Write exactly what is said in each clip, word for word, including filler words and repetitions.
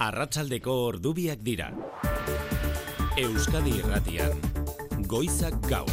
Arratsaldeko ordubiak dira. Euskadi Irratian, Goizak Gaur.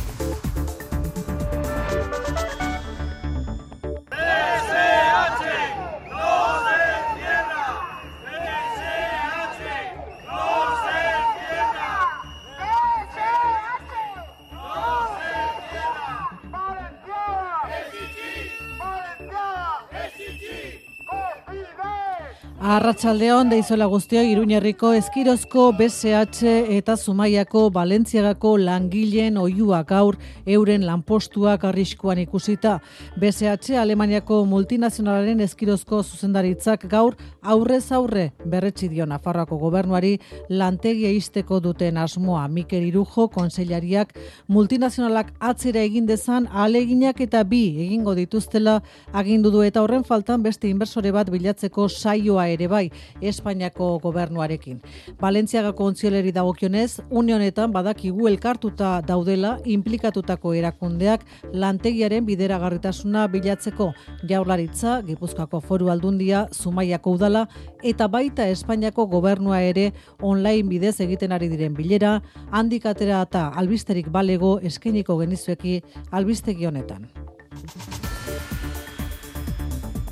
Arratsaldeon deizola guztioi, Iruñerriko Eskirozko B S H eta Zumaiako Balentziagako langileen oihua gaur euren lanpostuak arriskuan ikusita. B S H Alemaniako multinazionalaren Eskirozko zuzendaritzak gaur aurrez aurre berretsi dio Nafarroako gobernuari lantegia ixteko duten asmoa. Mikel Irujo kontseilariak multinazionalak atzera egin dezan ahaleginak eta bi egingo dituztela agindu du, eta horren faltan beste inbertsore bat bilatzeko saioa ere bai Espainiako gobernuarekin. Balentziagako ontzioleri dagokionez, une honetan badakigu elkartuta daudela inplikatutako erakundeak lantegiaren bideragarritasuna bilatzeko: Jaurlaritza, Gipuzkoako Foru Aldundia, Zumaiako udala eta baita Espainiako gobernua ere online bidez egiten ari diren bilera, handik atera eta albisterik balego eskainiko genizueki albistegi honetan.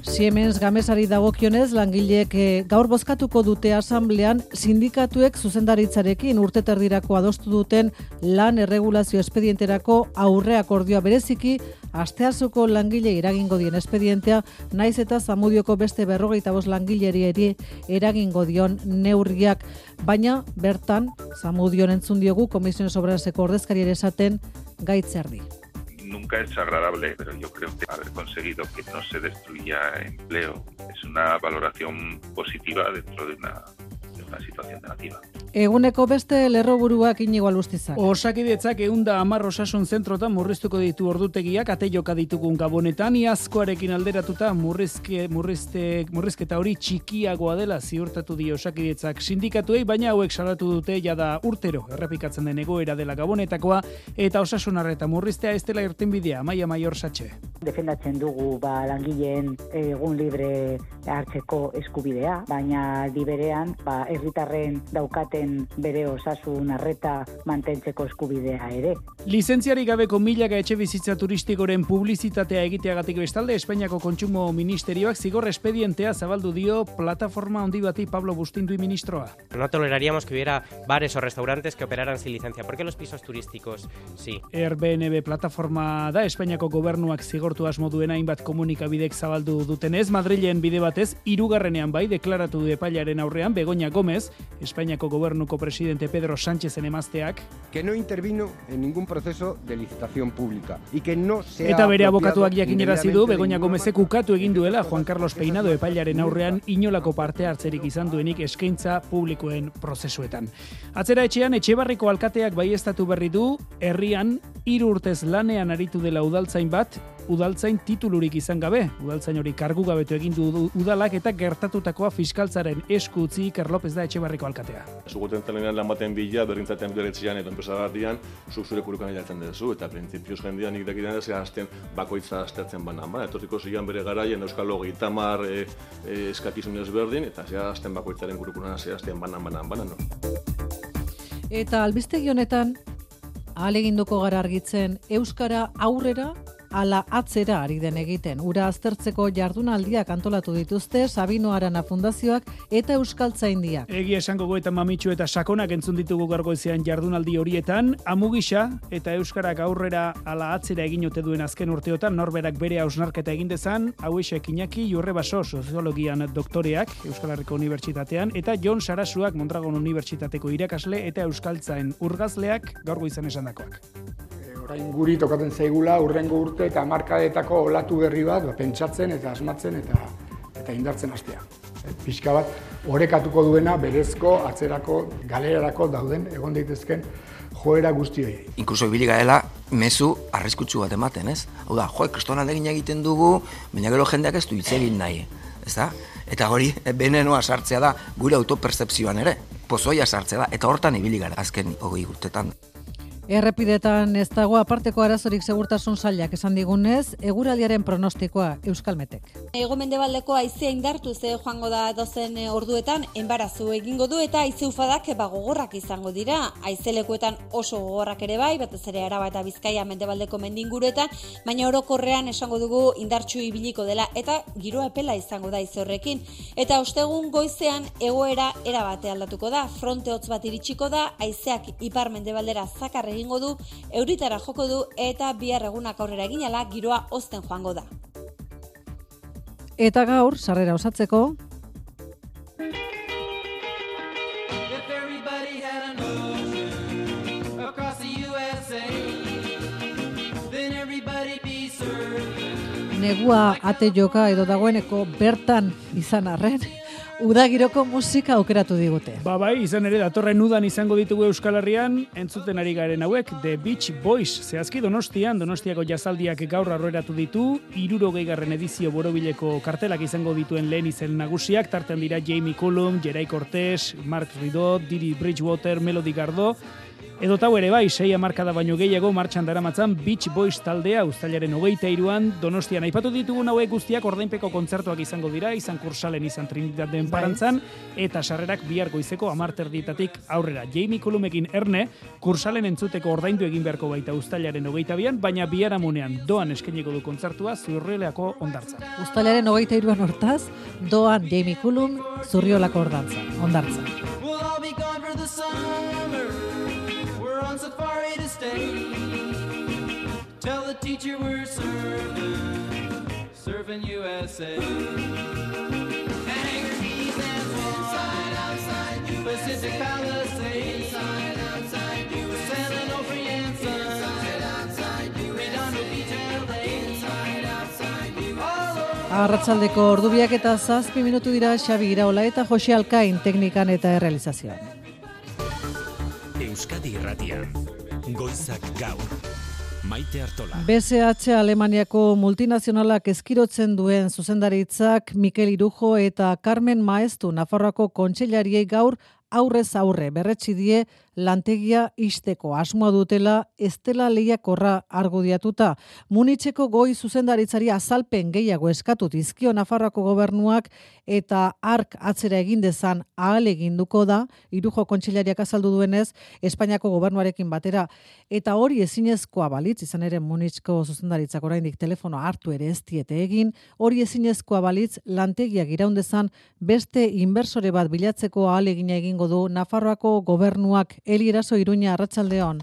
Siemens Gamesari dagokionez, langileek gaur bozkatuko dute asamblean sindikatuek zuzendaritzarekin urteterdirako adostu duten lan erregulazio espedienterako aurre akordioa, bereziki asteazuko langile eragingo dien espedientea, naiz eta Zamudioko beste berrogeita bost langileri ere eragingo dion neurriak, baina bertan Zamudion entzun diogu Komisiones Obreraseko ordezkariari esaten gaitzerdi. Nunca es agradable, pero yo creo que haber conseguido que no se destruya empleo es una valoración positiva dentro de una, de una situación negativa. Eguneko beste lerroburuak Inigo Alustizak. Osakidetzak ehunda hamar osasun zentrotan murriztuko ditu ordutegiak, ate joka ditugun Gabonetan, iazkoarekin alderatuta murrizke, murrizte, murrizketa hori txikiagoa dela ziurtatu dio Osakidetzak sindikatuei, baina hauek salatu dute jada urtero errepikatzen den egoera dela Gabonetakoa, eta osasun arreta murriztea ez dela irtenbidea. Maia Maior Satxe. Defendatzen dugu ba, langileen egun libre hartzeko eskubidea, baina aldi berean ba, herritarren daukate bere osasun arreta mantentzeko eskubidea ere. Lizentziarik gabeko milaka etxe bizitza turistikoren publizitatea egiteagatik bestalde, Espainiako Kontsumo Ministerioak zigor espedientea zabaldu dio plataforma handi bati. Pablo Bustindui ministroa. No toleraríamos que hubiera bares o restaurantes que operaran sin licencia. ¿Por qué los pisos turísticos sí? Airbnb plataforma da Espainiako gobernuak zigortu asmo duen hainbat komunikabidek zabaldu dutenez, Madrilen bide batez hirugarrenean bai deklaratu du epailaren aurrean Begoña Gómez, Espainiako gobernuko presidente Pedro Sánchezen emazteak, que no intervino en ningún proceso de licitación pública y que no se ha eta bere abokatuak jakinarazi du Begoña Gómezek ukatu egin duela Juan Carlos Peinado epailaren aurrean inolako parte hartzerik izan duenik eskaintza publikoen prozesuetan. Atzera etxean, Etxebarriko alkateak baieztatu berri du herrian hiru urtez lanean aritu dela udaltzain bat, udaltzain titulurik izan gabe. Udaltzain hori kargu gabetu egin du udalak eta gertatutakoa fiskaltzaren esku utzi. Iker López da Etxebarriko alkatea. Zuguten talenean lan baten bila, berrintzaten beretzean eta enpresa gardian, zuk zure kurukan eratzen duzu, eta printzipioz jendean nik dakidan ez azten bakoitza aztertzen banan. Ba, etorriko zian bere garaien Euskal Hogeita hamar e, e, eskakizunez berdin, eta zea azten bakoitzaren kurukunan zea azten banan, banan, banan. No? Eta albistegi honetan, ahaleginduko gara argitzen euskara aurrera ala atzera ari den egiten. Ura aztertzeko jardunaldiak antolatu dituzte Sabino Arana Fundazioak eta Euskaltzaindiak. Egia esango goetan mamitsu eta sakonak entzun ditugu gargoizean jardunaldi horietan, amugisa eta euskarak aurrera ala atzera egin ote duen azken urteotan norberak bere hausnarketa egin dezan, Hauexek Iñaki Jurrebaso soziologian doktoreak Euskal Herriko Unibertsitatean eta Jon Sarasuak Mondragon Unibertsitateko irakasle eta euskaltzain urgazleak gaurgoizan esandakoak. Orain guri tokaten zaigula urrengo urte eta hamarkadetako olatu berri bat ba, pentsatzen eta asmatzen eta eta indartzen hastea. E, pixka bat orekatuko duena berezko atzerako galerarako dauden egon daitezken joera guztioi. Inkluso ibili garela mezu arriskutsu bat ematen, ez? Hau da, jo, kriston alegin egiten dugu, baina gero jendeak ez du hitz egin nahi, ezta? Eta hori benenoa sartzea da gure autopertzepzioan ere, pozoia sartzea da, eta hortan ibili gara azken hogei urtetan. Errepidetan ez dago aparteko arazorik segurtasun sailak esan digunez, eguraldiaren pronostikoa Euskalmetek. Hego-mendebaldeko haizea indartu ze joango da dozen orduetan, enbarazu egingo du eta haize ufadak gogorrak izango dira. Haizelekuetan oso gogorrak ere bai, batez ere Araba eta Bizkaia mendebaldeko mendinguruetan, baina orokorrean esango dugu indartsu ibiliko dela eta giroa epela izango da haize horrekin. Eta ostegun goizean egoera erabate aldatuko da, fronte hotz bat iritsiko da, haizeak ipar mendebaldera zakarre egingo du, euritara joko du eta bihar egunak aurrera eginala giroa hozten joango da. Eta gaur, sarrera osatzeko, negua ate joka edo dagoeneko bertan izan arren, udagiroko musika aukeratu digute. Ba bai, izan ere datorren udan izango ditugu Euskal Herrian, entzuten ari garen hauek, The Beach Boys. Zehazki Donostian, Donostiako jazaldiak gaur arroeratu ditu, hirurogeigarren edizio borobileko kartelak izango dituen lehen izen nagusiak, tartean dira Jamie Cullum, Geray Cortés, Mark Ridot, Didi Bridgewater, Melody Gardot, edo tau ere bai, sei hamarkada baino gehiago martxan daramatzan Beach Boys taldea uztailaren hogeita hiruan Donostian. Aipatu ditugun hauek guztiak ordainpeko kontzertuak izango dira, izan Kursalen, izan Trinitaten Parantzan, eta sarrerak bihar goizeko hamar terdietatik aurrera. Jamie Cullumekin erne, Kursalen entzuteko ordaindu egin beharko baita uztailaren hogeita bian, baina biharamunean doan eskainiko du kontzertua Zurriolako hondartzan. Uztailaren hogeita hiruan hortaz, doan Jamie Cullum Zurriolako hondartzan. On safari to stay. Tell the teacher we're surfing, surfing U S A. Hangar keys and inside, outside, Pacific Palisades. Inside, outside, San Onofre and Sun. Inside, outside, Redondo Beach, L A. Inside, outside, Arratsaldeko ordubiak eta zazpi minutu dira Xabi Iraola eta Jose Alkain teknikan eta errealizazioan. Euskadi Irratian, Goizak Gaur, Maite Artola. B S H Alemaniako multinazionalak eskirotzen duen zuzendaritzak Mikel Irujo eta Carmen Maestu Nafarroako kontseilariei gaur aurrez aurre berretsi die lantegia ixteko asmoa dutela ez dela lehiakorra argudiatuta. Munitzeko goi zuzendaritzari azalpen gehiago eskatu dizkio Nafarroako gobernuak eta ark atzera egin dezan ahaleginduko da, Irujo kontseilariak azaldu duenez, Espainiako gobernuarekin batera. Eta hori ezinezkoa balitz, izan ere Munitzko zuzendaritzak oraindik telefono hartu ere ez diete egin, hori ezinezkoa balitz lantegiak iraun dezan beste inbertsore bat bilatzeko ahalegina egingo du Nafarroako gobernuak. Eli Eraso, Iruña, arratsaldeon.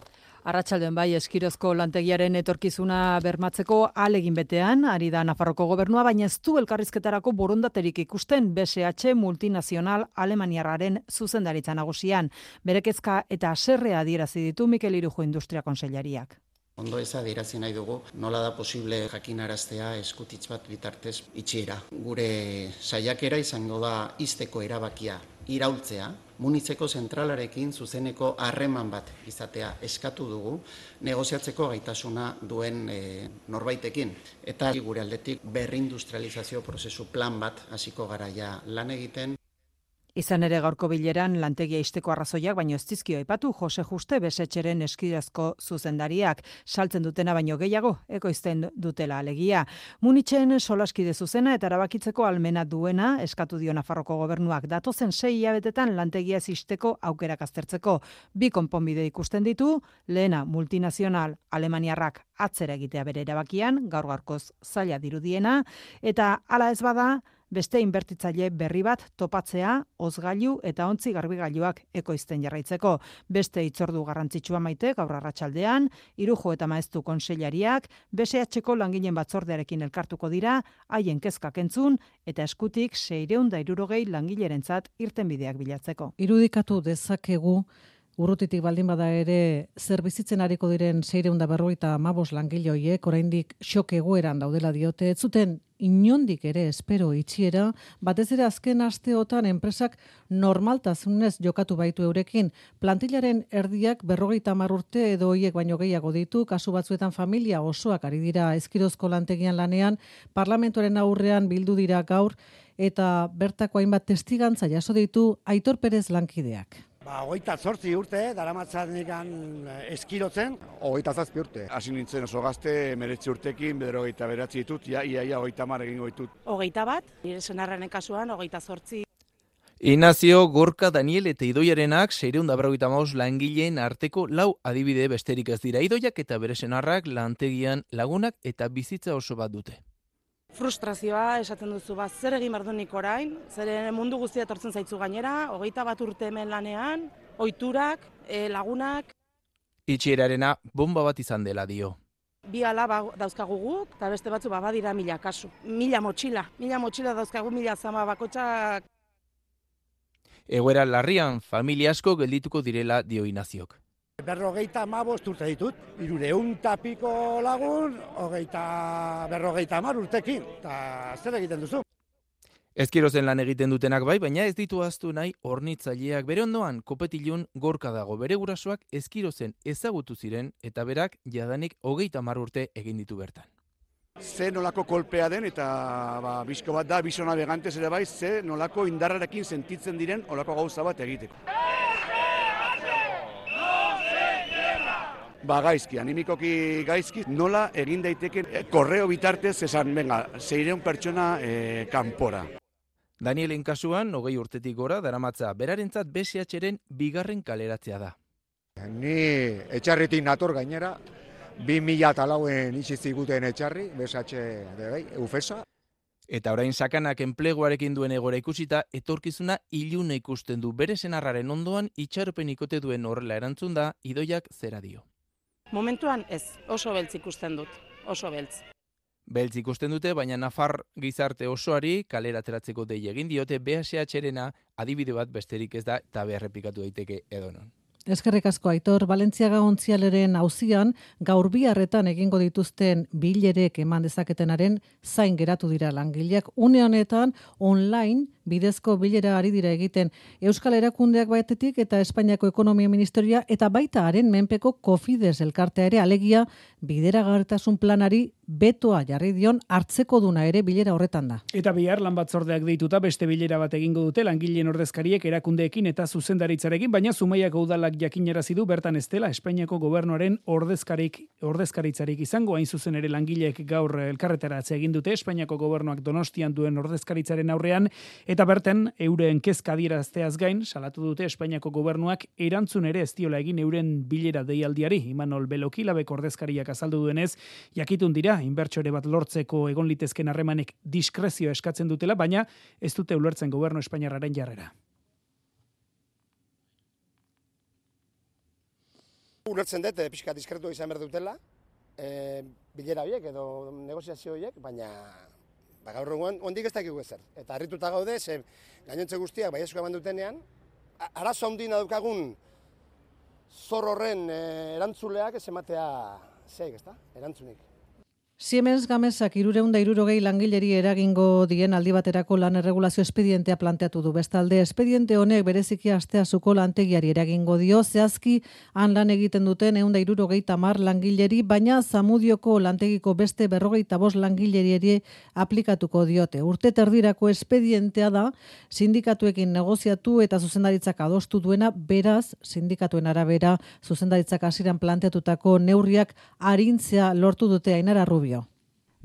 Arratsaldeon bai, Eskirozko lantegiaren etorkizuna bermatzeko ahalegin betean ari da Nafarroko gobernua, baina ez du elkarrizketarako borondaterik ikusten B S H multinazional alemaniarraren zuzendaritza nagusian. Bere kezka eta haserrea adierazi ditu Mikel Irujo industria kontseilariak. Ondo ez adierazi nahi dugu, nola da posible jakinaraztea eskutitz bat bitartez itxiera. Gure saiakera izango da ixteko erabakia iraultzea, Munitzeko zentralarekin zuzeneko harreman bat izatea eskatu dugu, negoziatzeko gaitasuna duen e, norbaitekin. Eta gure aldetik berrindustrializazio prozesu plan bat hasiko garaia lan egiten. Izan ere gaurko bileran lantegia ixteko arrazoiak baino ez dizkio aipatu Jose Juste B S H-ren Eskirazko zuzendariak, saltzen dutena baino gehiago ekoizten dutela alegia. Munitzen solaskide zuzena eta erabakitzeko almena duena eskatu dio Nafarroko gobernuak datozen sei hilabetetan lantegia ixteko aukerak aztertzeko. Bi konponbide ikusten ditu, lehena multinazional alemaniarrak atzera egitea bere erabakian, gaur gaurkoz zaila dirudiena, eta hala ez bada, beste inbertitzaile berri bat topatzea, ozgailu eta ontzi garbigailuak ekoizten jarraitzeko. Beste hitzordu garrantzitsua Maite gaur arratsaldean, Irujo eta Maestu kontseilariak B S H-ko langileen batzordearekin elkartuko dira, haien kezkak entzun eta eskutik seiehun eta hirurogei langilerentzat irtenbideak bilatzeko. Irudikatu dezakegu urrutitik baldin bada ere zer bizitzen ariko diren seiehun eta berrogeita hamabost langile horiek oraindik xok egoeran daudela diote, ez zuten inondik ere espero itxiera, batez ere azken asteotan enpresak normaltasunez jokatu baitu eurekin. Plantilaren erdiak berrogeita hamar urte edo hoiek baino gehiago ditu, kasu batzuetan familia osoak ari dira Eskirozko lantegian lanean, parlamentuaren aurrean bildu dira gaur eta bertako hainbat testigantza jaso ditu Aitor Perez lankideak. Ba, hogeita zortzi urte, daramatzanikan eskirotzen. Hogeita zazpi urte. Hasi nintzen oso gazte, meretzi urtekin, bederogeita beratzi ditut, ia, ia, ia, hogeita mar egingo ditut. Hogeita bat, nire senarraren kasuan, hogeita zortzi. Inazio, Gorka, Daniel eta Idoiarenak seiehun eta berrogeita hamabost langileen arteko lau adibide besterik ez dira. Idoiak eta bere senarrak lantegian lagunak eta bizitza oso bat dute. Frustrazioa esaten duzu, ba, zer egin behar du nik orain, zer mundu guztia etortzen zaitzu gainera, hogeita bat urte hemen lanean, ohiturak, e, lagunak. Itxierarena bomba bat izan dela dio. Bi alaba dauzkagu guk, eta beste batzu ba, badira mila kasu. Mila motxila, mila motxila dauzkagu, mila zama bakotxak. Egoera larrian, familia asko geldituko direla dio Inaziok. Berrogeita hamabost urte ditut, hirureun tapiko lagun, hogeita berrogeita hamar urtekin, eta zer egiten duzu? Ezkirozen lan egiten dutenak bai, baina ez ditu ahaztu nahi hornitzaileak. Bere ondoan, Kopetilun Gorka dago. Bere gurasoak Ezkirozen ezagutu ziren eta berak jadanik hogeita hamar urte egin ditu bertan. Ze nolako kolpea den eta ba, bizko bat da, bizona begantez ere bai, ze nolako indarrarekin sentitzen diren olako gauza bat egiteko. Ba gaizki, animikoki gaizki, nola egin daiteken e, korreo bitartez esan, venga, seiehun pertsona e, kanpora. Danielen kasuan, hogei urtetik gora, daramatza berarentzat B S H-ren bigarren kaleratzea da. Ni etxarritik nator gainera, bi mila eta lauen itxi ziguten etxarri, B S H de Ufesa. Eta orain sakanak enpleguarekin duen egora ikusita, etorkizuna iluna ikusten du. Bere senarraren ondoan itxaropen ikote duen horrela erantzun da, Idoiak zera dio. Momentuan ez, oso beltz ikusten dut, oso beltz. Beltz ikusten dute, baina Nafar gizarte osoari kalera ateratzeko dei egin diote B S H-rena adibide bat besterik ez da eta berrepikatu daiteke edonon. Eskerrik asko Aitor, Valentziaga ontzialeren auzian gaur biharretan egingo dituzten bilerek eman dezaketenaren zain geratu dira langileak. Une honetan online bidezko bilera ari dira egiten Euskal Erakundeak batetik eta Espainiako Ekonomia Ministerioa eta baita haren menpeko Cofides elkartea ere, alegia bideragarritasun planari betoa jarri dion hartzeko duna ere bilera horretan da. Eta bihar lan batzordeak deituta beste bilera bat egingo dute langileen ordezkariek erakundeekin eta zuzendaritzarekin, baina Zumaiako udalak jakinarazi du bertan ez dela Espainiako gobernuaren ordezkarik ordezkaritzarik izango, hain zuzen ere langileek gaur elkarretaratze egin dute Espainiako gobernuak Donostian duen ordezkaritzaren aurrean eta bertan euren kezka adierazteaz gain salatu dute Espainiako gobernuak erantzun ere ez diola egin euren bilera deialdiari. Imanol Beloki labeko ordezkariak azaldu duenez, jakitun dira inbertsore bat lortzeko egon litezken harremanek diskrezio eskatzen dutela, baina ez dute ulertzen gobernu espainiarraren jarrera. Ulertzen dut, pixka diskretua izan behar dutela, e, bilera horiek edo negoziazio horiek, baina ba, gaur egun ondik ez dakigu ezer. Eta harrituta gaude, ze gainontze guztiak baiezko eman dutenean, arazo handina daukagun zor horren e, erantzuleak ez ematea zeik, ez da? Erantzunik. Siemens Gamesak hirurehun eta hirurogei langileri eragingo dien aldi baterako lan erregulazio espedientea planteatu du. Bestalde, espediente honek bereziki asteazuko lantegiari eragingo dio, zehazki han lan egiten duten ehun eta hirurogeita hamar langileri, baina Zamudioko lantegiko beste berrogeita bost langileri ere aplikatuko diote. Urte terdirako espedientea da, sindikatuekin negoziatu eta zuzendaritzak adostu duena, beraz, sindikatuen arabera, zuzendaritzak hasieran planteatutako neurriak arintzea lortu dute. Ainara Rubio.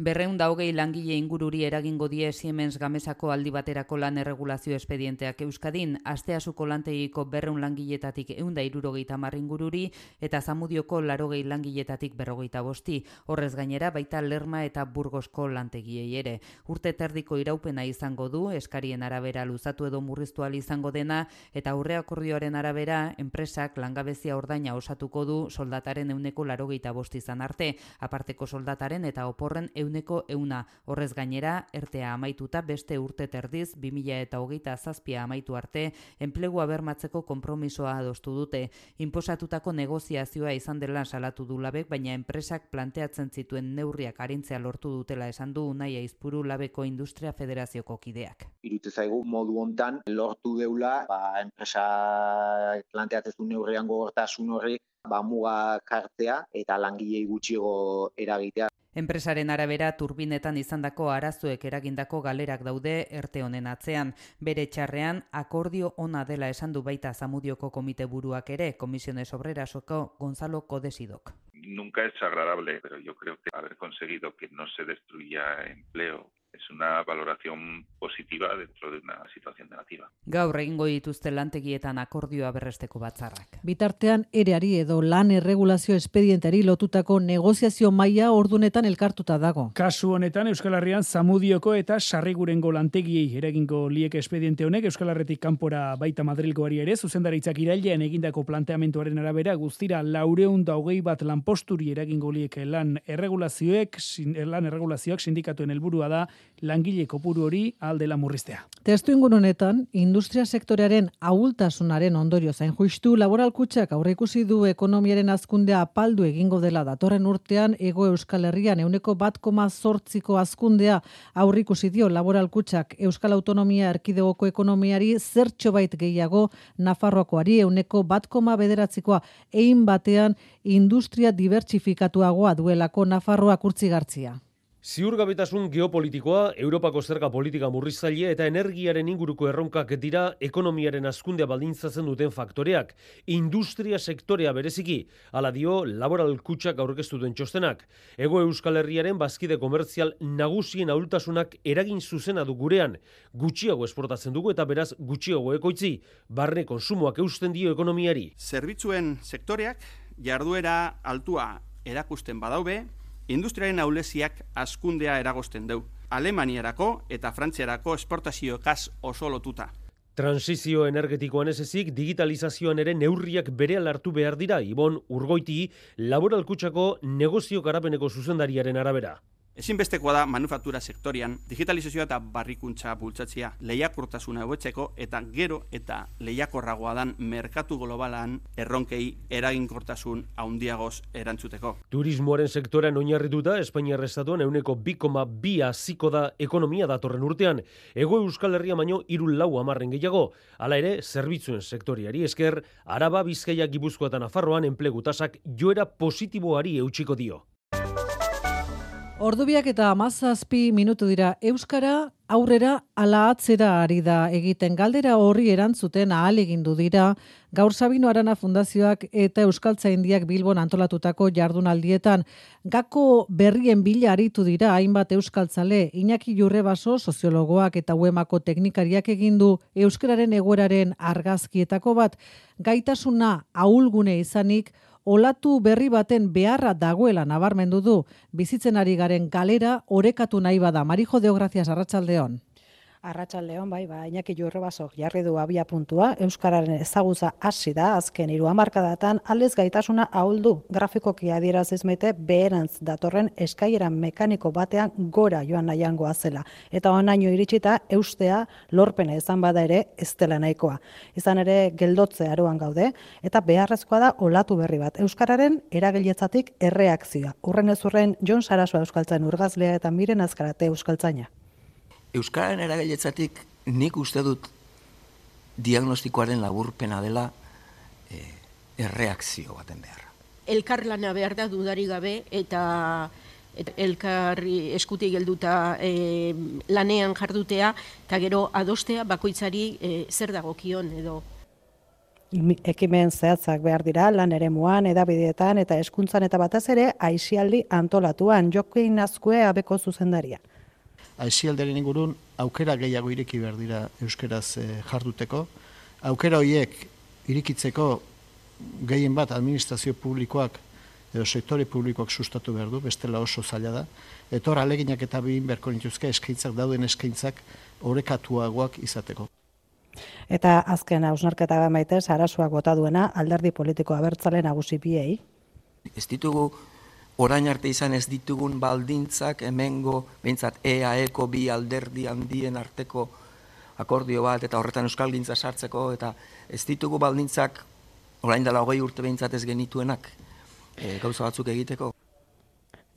Berreun da hogei langile ingururi eragingo die Siemens Gamesako aldi baterako lan erregulazio espedienteak Euskadin, asteasuko lantegiko berreun langiletatik ehun eta hirurogeita hamar ingururi eta Zamudioko laurogei langiletatik berrogeita bosti. Horrez gainera baita Lerma eta Burgosko lantegiei ere. Urte terdiko iraupena izango du, eskarien arabera luzatu edo murriztu ahal izango dena, eta aurreakordioaren arabera enpresak langabezia ordaina osatuko du soldataren ehuneko laurogeita bost izan arte, aparteko soldataren eta oporren ehuneko ehuna. Horrez gainera, ertea amaituta beste urte terdiz, bi mila hogeita zazpia amaitu arte, enplegua bermatzeko konpromisoa adostu dute. Inposatutako negoziazioa izan dela salatu du labek, baina enpresak planteatzen zituen neurriak arintzea lortu dutela esan du Unai Aizpuru labeko Industria Federazioko kideak. Irutze zaigu modu hontan lortu deula, ba, enpresa planteatzen zuen neurrian gogortasun horri, ba, muga kartzea eta langilei gutxiago eragitea. Enpresaren arabera turbinetan izandako arazoek eragindako galerak daude erte honen atzean. Bere txarrean akordio ona dela esan du baita Zamudioko komite buruak ere, Comisiones Obrerasoko Gonzalo Codesidok. Nunca es agradable, pero yo creo que haber conseguido que no se destruya empleo es una valoración positiva dentro de una situación negativa. Gaur egingo dituzte lantegietan akordioa berresteko batzarrak. Bitartean ereari edo lan erregulazio espedientari lotutako negoziazio maila ordunetan elkartuta dago. Kasu honetan Euskal Herrian Zamudioko eta Sarrigurengo lantegiei eragingo lieke espediente honek Euskal Herretik kanpora baita Madrilgoari ere zuzendaritzak irailean egindako planteamenduaren arabera guztira laurehun eta hogei bat lanposturi eragingo lieke lan erregulazioek lan erregulazioak sindikatuen helburua da langile kopuru hori aldela murriztea. Testuinguru honetan, industria sektorearen ahultasunaren ondorio zain justu laboral kutxak aurreikusi du ekonomiaren hazkundea apaldu egingo dela datorren urtean Hego Euskal Herrian ehuneko bat koma zortziko hazkundea aurreikusi dio laboral kutxak Euskal Autonomia Erkidegoko ekonomiari zertxobait gehiago Nafarroakoari ehuneko bat koma bederatzikoa egin batean industria dibertsifikatuagoa duelako Nafarroak urtzigartzia. Ziurgabetasun geopolitikoa, Europako zerga politika murriztaile eta energiaren inguruko erronkak dira ekonomiaren hazkundea baldintzatzen duten faktoreak. Industria sektorea bereziki, hala dio laboral kutxak aurkeztu duen txostenak. Hego Euskal Herriaren bazkide komertzial nagusien ahultasunak eragin zuzena du gurean. Gutxiago esportatzen dugu eta beraz gutxiago ekoitzi. Barne konsumoak eusten dio ekonomiari. Zerbitzuen sektoreak jarduera altua erakusten badaube, industriaren ahuleziak hazkundea eragozten du. Alemaniarako eta Frantziarako esportazioekaz oso lotuta. Transizio energetikoan ez ezik, digitalizazioan ere neurriak berehala hartu behar dira, Ibon Urgoiti, laboral kutxako negozio garapeneko zuzendariaren arabera. Ezinbestekoa da manufaktura sektorian digitalizazioa eta barrikuntza bultzatzea, lehiakortasuna hobetzeko eta gero eta lehiakorragoa dan merkatu globalan erronkei eraginkortasun handiagoz erantzuteko. Turismoaren sektorean oinarrituta Espainiar estatuan ehuneko bi koma bi haziko da ekonomia datorren urtean. Hego Euskal Herria baino hiru lau hamarren gehiago. Hala ere, zerbitzuen sektoriari esker, Araba, Bizkaia, Gipuzkoa eta Nafarroan enplegu tasak joera positiboari eutsiko dio. Ordubiak eta hamazazpi minutu dira. Euskara aurrera ala atzera ari da egiten. Galdera horri erantzuten ahalegindu dira Gaur Sabino Arana Fundazioak eta Euskaltzaindiak Bilbon antolatutako jardunaldietan. Gako berrien bila aritu dira hainbat euskaltzale. Iñaki Jurrebaso, soziologoak eta uemako teknikariak egindu euskararen egoeraren argazkietako bat. Gaitasuna ahulgune izanik, olatu berri baten beharra dagoela nabarmendu du, bizitzen ari garen galera orekatu nahi bada. Marijo Deogracias, arratsaldeon. Arratsaldeon, bai, ba, Iñaki Jurrebasok jarri du abia puntua, euskararen ezagutza hasi da azken hiru hamarkadatan, aldez gaitasuna ahuldu. Grafikoki adieraziz maite beherantz datorren eskailera mekaniko batean gora joan nahiangoa zela. Eta honaino iritsita eustea lorpena izan bada ere ez dela nahikoa. Izan ere geldotze aroan gaude eta beharrezkoa da olatu berri bat. Euskararen eragiletzatik erreakzioa. Urren ez urren Jon Sarasua euskaltzain urgazlea eta Miren Azkarate euskaltzaina. Euskararen eragiletzatik nik uste dut diagnostikoaren laburpena dela e, erreakzio baten beharra. Elkarlana behar da dudari gabe eta, eta elkarri eskutik gelduta e, lanean jardutea eta gero adostea bakoitzari e, zer dagokion edo. Ekimen zehatzak behar dira lan eremuan, edabideetan eta hezkuntzan eta batez ere aisialdi antolatuan. Jokin Azkue abeko zuzendaria. Aisialdaren ingurun aukera gehiago ireki behar dira euskeraz e, jarduteko. Aukera horiek irikitzeko gehien bat administrazio publikoak edo sektore publikoak sustatu behar du, bestela oso zaila da. Etor aleginak eta bihin beharko nituzke eskaintzak, dauden eskaintzak orekatuagoak izateko. Eta azken hausnarketa maite Sarasuak bota duena alderdi politiko abertzale nagusi biei. Ez ditugu orain arte izan ez ditugun baldintzak hemengo, behintzat E A Eko bi alderdi handien arteko akordio bat, eta horretan euskalgintza sartzeko, eta ez ditugu baldintzak orain dela hogei urte behintzat ez genituenak e, gauza batzuk egiteko.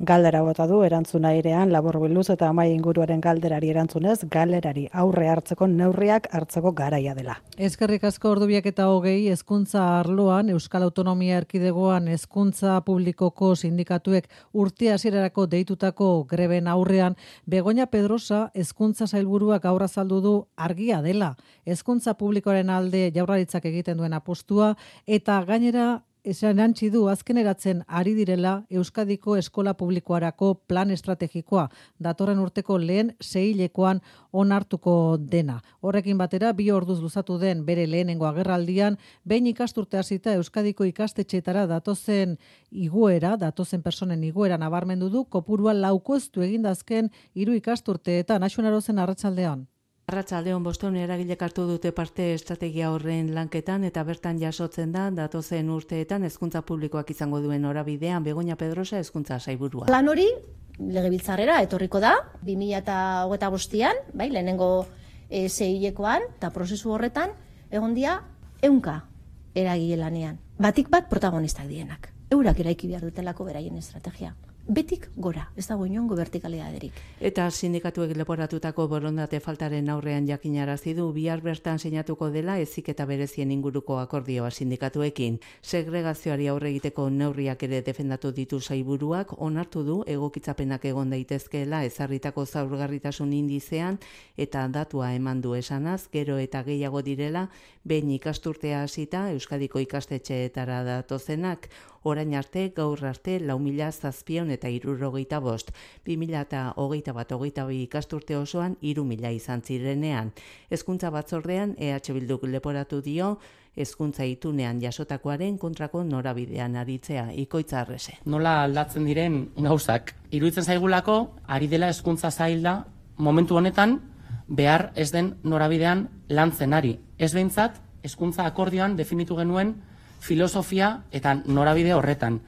Galdera bota du erantzuna airean laburbilduz eta amai inguruaren galderari erantzunez, galerari aurre hartzeko neurriak hartzeko garaia dela. Eskerrik asko ordubiak eta hogei hezkuntza arloan Euskal Autonomia Erkidegoan hezkuntza publikoko sindikatuek urte hasierarako deitutako greben aurrean Begoña Pedrosa hezkuntza sailburuak gaur azaldu du argia dela. Hezkuntza publikoaren alde Jaurlaritzak egiten duen apustua eta gainera esan antzi du azkeneratzen ari direla Euskadiko eskola publikoarako plan estrategikoa datorren urteko lehen seihilekoan onartuko dena. Horrekin batera bi orduz luzatu den bere lehenengo agerraldian behin ikasturte hasita Euskadiko ikastetxeetara datozen igoera, datozen personen igoera nabarmendu du kopurua laukoiztu egindazken hiru ikasturteetan. Axun Arozen arratsaldean. Arratsaldeon bostehun eragilek hartu dute parte estrategia horren lanketan eta bertan jasotzen da datozen urteetan hezkuntza publikoak izango duen norabidean Begoña Pedrosa hezkuntza sailburua. Plan hori legebiltzarrera etorriko da bi mila hogeita bostean, bai, lehenengo e, seihilekoan eta prozesu horretan egon dira ehunka eragile lanean. Batik bat protagonistak dienak. Eurak eraiki behar dutelako beraien estrategia. Betik gora, ez dago inongo vertikalidaderik. Eta sindikatuek leporatutako borondate faltaren aurrean jakinarazi du bihar bertan sinatuko dela heziketa berezien inguruko akordioa sindikatuekin. Segregazioari aurre egiteko neurriak ere defendatu ditu sailburuak, onartu du egokitzapenak egon daitezkeela ezarritako zaurgarritasun indizean eta datua eman du esanaz, gero eta gehiago direla behin ikasturtea hasita Euskadiko ikastetxeetara datozenak. Orain arte, gaur arte, lau mila zazpion eta hirurogeita bost. Bi mila eta hogeita bat, hogeita bi ikasturte osoan, hiru mila izan zirenean. Hezkuntza batzordean, E H Bilduk leporatu dio, hezkuntza itunean jasotakoaren kontrako norabidean aritzea, Ikoitza Arrese. Nola aldatzen diren gauzak? Iruditzen zaigulako, ari dela hezkuntza zaila momentu honetan, behar ez den norabidean lantzen ari. Ez behintzat, hezkuntza akordioan definitu genuen filosofia eta norabide horretan.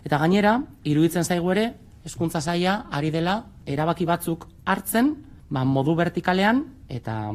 Eta gainera, iruditzen zaigu ere, hezkuntza saila ari dela erabaki batzuk hartzen, ba, modu vertikalean eta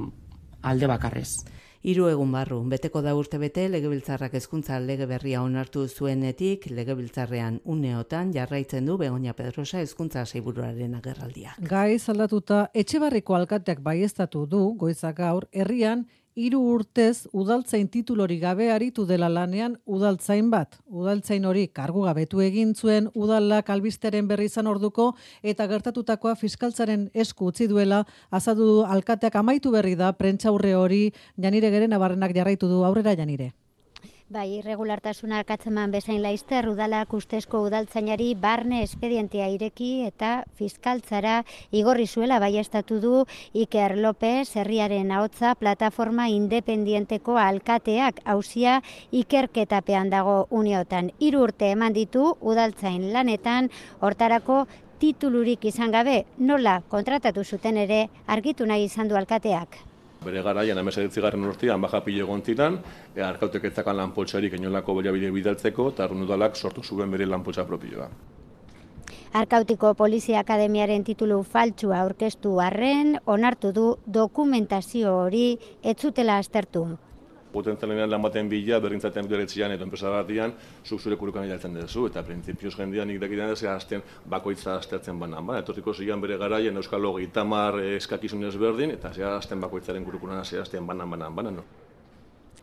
alde bakarrez. Hiru egun barru, beteko da urte bete, Legebiltzarrak hezkuntza lege berria onartu zuenetik, Legebiltzarrean uneotan jarraitzen du Begoña Pedrosa hezkuntza sailburuaren agerraldia. Gai zaldatuta Etxebarriko alkateak baieztatu du goizak gaur herrian hiru urtez udaltzain titulori gabe aritu dela lanean udaltzain bat. Udaltzain hori kargu gabetu egin zuen udalak albistearen berri izan orduko eta gertatutakoa fiskaltzaren esku utzi duela azaldu du alkateak amaitu berri da prentsaurre hori. Janire Gerenabarrenak jarraitu du. Aurrera, Janire. Bai, irregulartasuna katzeman bezain laizter udalak ustezko udaltzainari barne espedientea ireki eta fiskaltzara igorri zuela baiestatu du Iker López, herriaren ahotsa plataforma independienteko alkateak auzia ikerketapean dago uneotan. Hiru urte eman ditu udaltzain lanetan, hortarako titulurik izan gabe, nola kontratatu zuten ere argitu nahi izan du alkateak. Bere garaian hemezortzigarren urtean baja pilo egon ziren, e, arkautek ez zakan lanpoltsarik inolako baliabide bidaltzeko, eta arrun udalak sortu zuen bere lanpoltsa propioa. Arkautiko Polizia Akademiaren titulu faltsua aurkeztu arren, onartu du dokumentazio hori ez zutela aztertu. Potentzialean lan baten bila, berrintzaten beretzian edo enpresa batian, zuk zure kurukan idaltzen duzu, eta printzipioz jendean nik dakidan ez azten bakoitza aztertzen banan. Ba, etorriko zian bere garaien Euskal hogeita hamar eskakizunez berdin, eta zea azten bakoitzaren kurukunan azten banan banan banan. No?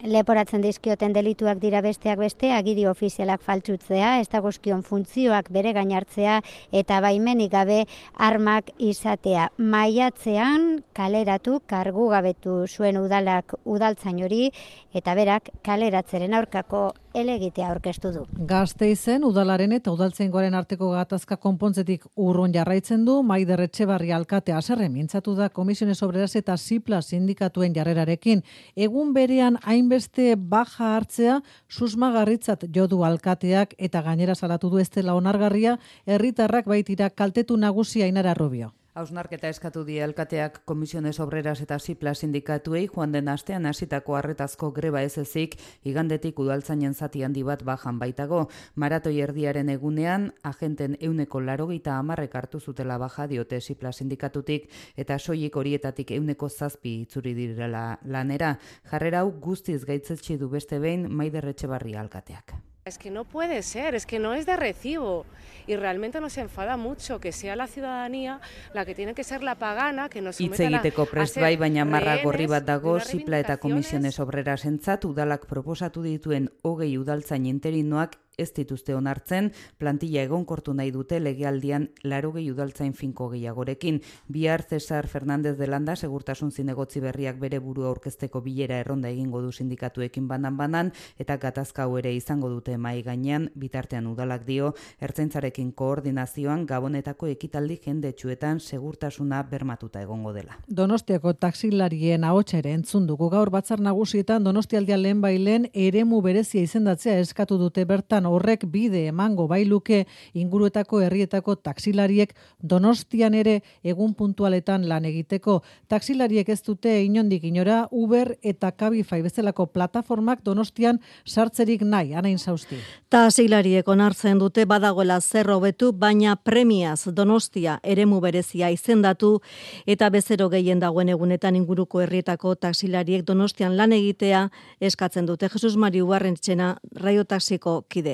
Leporatzen dizkioten delituak dira besteak beste, agiri ofizialak faltsutzea, ez dagozkion funtzioak bere gainartzea eta baimenik gabe armak izatea. Maiatzean kaleratu kargu gabetu zuen udalak udaltzain hori eta berak kaleratzeren aurkako helegitea aurkeztu du. Gasteizen udalaren eta udaltzaingoaren arteko gatazka konpontzetik urrun jarraitzen du, Maider Etxebarri alkatea haserre mintzatu da Comisiones Obreras eta Sipla sindikatuen jarrerarekin. Egun berean hainbeste baja hartzea susmagarritzat jo du alkateak eta gainera salatu du ez dela onargarria, herritarrak baitira kaltetu nagusia Ainara Rubio. Hausnarketa eskatu die alkateak Comisiones Obreras eta Sipla sindikatuei joan den astean hasitako arretazko greba ez ezik, igandetik udaltzainen zati handi bat bajan baitago. Maratoi erdiaren egunean, agenten euneko larogeita hamarrek hartu zutela baja diote Sipla sindikatutik eta soilik horietatik euneko zazpi itzuri direla lanera. Jarrera hau guztiz gaitzetsi du beste behin Maider Etxebarri alkateak. Es que no puede ser, es que no es de recibo y realmente nos enfada mucho que sea la ciudadanía la que tiene que ser la pagana, que nos Hitz sometan a, egiteko a prest ser bai, baina marra rehenes gorri bat dago, de unas Zipla eta Komisiones Obreras entzat, udalak proposatu dituen hogei udaltzain interinoak ez dituzte onartzen, plantilla egonkortu nahi dute legealdian laurogei udaltzain finko gehiagorekin. Bihar Cesar Fernández de Landa segurtasun zinegotzi berriak bere burua aurkezteko bilera erronda egingo du sindikatuekin banan-banan, eta gatazka hau ere izango dute mahai gainean, bitartean udalak dio, ertzaintzarekin koordinazioan gabonetako ekitaldi jendetsuetan segurtasuna bermatuta egongo dela. Donostiako taxilarien ahotsa ere entzun dugu gaur batzar nagusietan Donostialdean lehen bailen eremu berezia izendatzea eskatu dute bertan. Horrek bide emango bailuke inguruetako herrietako taxilariek Donostian ere egun puntualetan lan egiteko. Taxilariek ez dute inondik inora Uber eta Cabify bezalako plataformak Donostian sartzerik nahi, Anain Sausti. Taxilariek onartzen dute badagoela zer hobetu, baina premiaz Donostia eremu berezia izendatu eta bezero gehien dagoen egunetan inguruko herrietako taxilariek Donostian lan egitea eskatzen dute. Jesus Mari Ubarrentxena, Raio Taxiko kidea.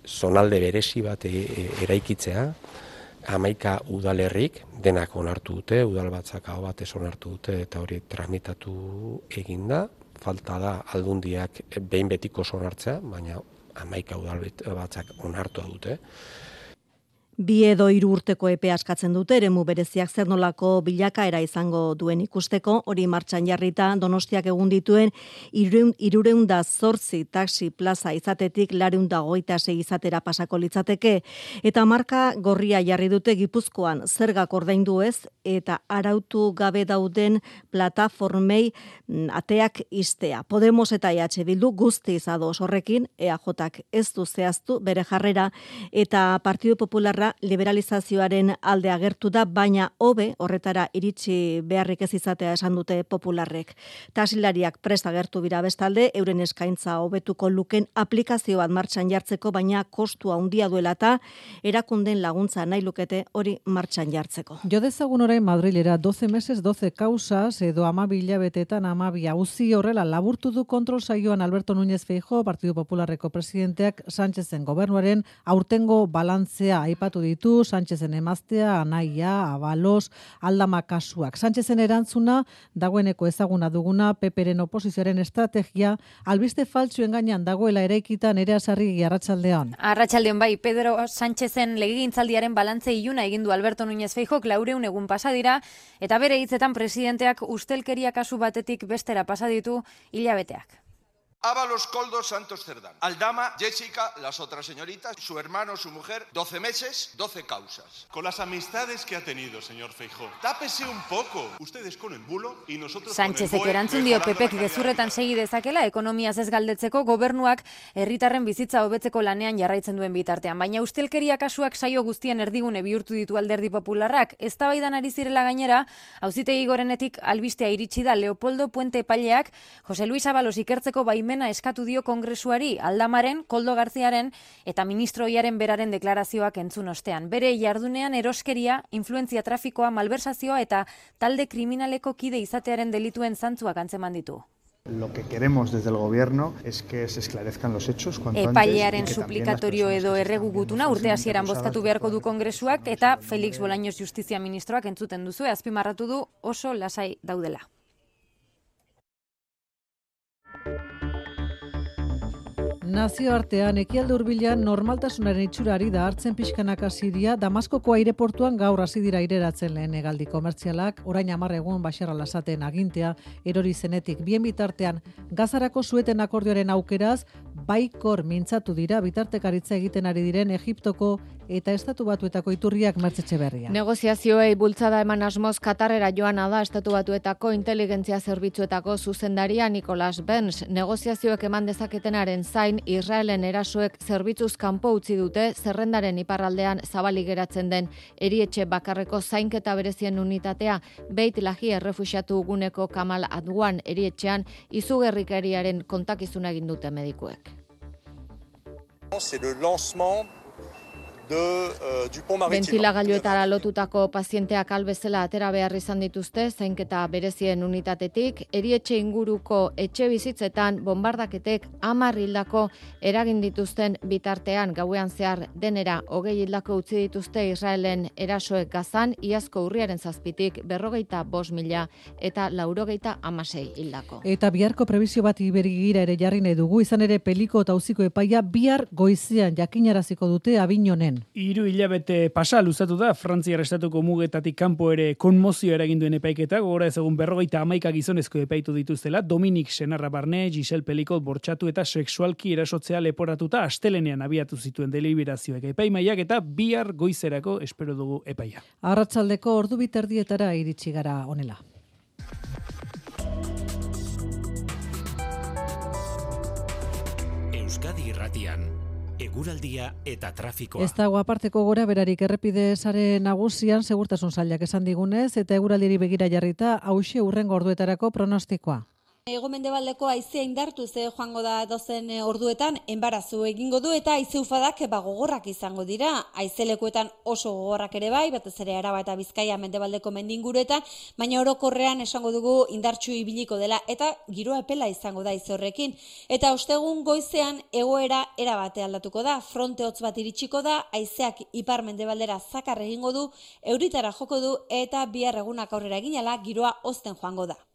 Zonalde berezi bat eraikitzea, hamaika udalerrik denak onartu dute, udal batzak hau batez onartu dute eta hori tramitatu eginda. Falta da aldundiak behin betiko onartzea, baina hamaika udal batzak onartua dute. Bi edo hiru urteko epea askatzen dute eremu bereziak zer nolako bilakaera izango duen ikusteko, hori martxan jarrita Donostiak egun dituen hiruehun eta zortzi taxi plaza izatetik laurehun eta hogeita sei izatera pasako litzateke, eta marka gorria jarri dute Gipuzkoan zergak ordaindu ez eta arautu gabe dauden plataformei ateak ixtea. Podemos eta E H Bildu guztiz ados horrekin, E A Jak ez du zehaztu bere jarrera eta Partidu Popularra liberalizazioaren alde agertu da, baina hobe horretara iritsi beharrik ez izatea esan dute popularrek. Taxilariak prest agertu bira bestalde, euren eskaintza hobetuko luken aplikazio bat martxan jartzeko, baina kostua handia duela eta erakunden laguntza nahi lukete hori martxan jartzeko. Jo dezagun orain Madrilera doce meses, doce causas edo hamabi hilabetetan hamabi auzi horrela laburtu du kontrol saioan Alberto Núñez Feijóo, Partidu Popularreko presidenteak Sánchezen gobernuaren aurtengo balantzea aipatu ditu, Sánchezen emaztea, anaia, abalos, aldama kasuak. Sánchezen erantzuna, dagoeneko ezaguna duguna, Peperen oposizioaren estrategia, albiste faltsuen gainean dagoela eraikitan ere asarri arratsaldean. Arratsaldeon bai, Pedro Sánchezen legegintzaldiaren balantze iluna egin du Alberto Núñez Feijóok laurehun egun pasa dira, eta bere hitzetan presidenteak ustelkeria kasu batetik bestera pasa ditu hilabeteak. Ábalos, Koldo, Santos, Cerdán. Aldama, Jessica, las otras señoritas, su hermano, su mujer, doce meses, doce causas. Con las amistades que ha tenido, señor Feijóo. Tápese un poco. Ustedes con el bulo y nosotros Sánchezek con el erantzun dio Pepek gezurretan segi dezakela ekonomiaz ez galdetzeko gobernuak herritarren bizitza hobetzeko lanean jarraitzen duen bitartean. Baina ustelkeria kasuak saio guztien erdigune bihurtu ditu Alderdi Popularrak. Eztabaidan ari zirela gainera, auzitegi gorenetik albistea iritsi da Leopoldo Puente epaileak Jose Luis Ábalos ikertzeko baimena eskatu dio Kongresuari, Aldamaren, Koldo Garziaren eta ministroiaren beraren deklarazioak entzun ostean. Bere jardunean eroskeria, influentzia trafikoa, malversazioa eta talde kriminaleko kide izatearen delituen zantzuak antzeman ditu. Lo que queremos desde el gobierno es que se esclarezcan los hechos cuanto antes. Epailearen suplikatorio edo erregugutuna urte hasieran bozkatu beharko du Kongresuak eta Felix Bolaños Justizia ministroak entzuten duzu, azpimarratu du oso lasai daudela. Nazioartean ekialde hurbilean normaltasunaren itxurari da hartzen pixkanaka Siria, Damaskoko aireportuan gaur hasi dira aireratzen lehen hegaldi komertzialak, orain hamar egun Bashar al-Assaden agintea erori zenetik. Bien bitartean Gazarako sueten akordioaren aukeraz baikor mintzatu dira bitartekaritza egiten ari diren Egiptoko eta Estatu Batuetako iturriak Mertzetxe Berria. Negozazioei bultzada eman asmoz Katarrera joana da Estatu Batuetako inteligentzia zerbitzuetako zuzendaria Nicholas Burns. Negoziazioek eman dezaketenaren zain Israelen erasoek zerbitzuz kanpo utzi dute zerrendaren iparraldean zabalik geratzen den erietxe bakarreko zainketa berezien unitatea Beit Lahi errefuxiatu guneko Kamal Adwan erietxean izugerrikeriaren kontakizuna egin dute medikuek. C'est le lancement Bentilagailuetara lotutako pazienteak albezela atera behar izan dituzte zainketa berezien unitatetik, erietxe inguruko etxe bizitzetan bombardaketek hamar hildako eragin dituzten bitartean gauean zehar denera hogei hildako utzi dituzte Israelen erasoek Gazan, iazko urriaren zazpitik berrogeita bost mila eta laurogeita hamasei hildako. Eta biharko prebizio bat iberigira ere jarri nahi dugu, izan ere peliko eta auziko epaia bihar goizean jakinaraziko dute Abinonen. Hiru hilabete pasa luzatu da Frantziar estatuko mugetatik kanpo ere konmozio eragin duen epaiketa, gogora ezagun berrogeita hamaika gizonezko epaitu dituztela, Dominik Senarra barne, Giselle Pelikot bortxatu eta sexualki erasotzea leporatuta astelenean abiatu zituen deliberazioek epaimaiak eta bihar goizerako espero dugu epaia. Arratsaldeko ordu biterdietara iritsi gara honela. Euskadi Irratian, eguraldia eta trafikoa. Ez dago aparteko gora berarik errepide sare nagusian segurtasun sailak esan digunez eta eguraldiari begira jarrita hauxe hurrengo orduetarako pronostikoa. Hego-mendebaldeko haizea indartu ze joango da dozen orduetan enbarazu egingo du eta haize ufadak gogorrak izango dira. Haizelekuetan oso gogorrak ere bai, batez ere Araba eta Bizkaia mendebaldeko mendinguruetan, baina orokorrean esango dugu indartsu ibiliko dela eta giroa epela izango da haize horrekin. Eta ostegun goizean egoera erabate aldatuko da, fronte hotz bat iritsiko da, haizeak ipar mendebaldera zakar egingo du, euritara joko du eta bihar egunak aurrera eginala giroa hozten joango da.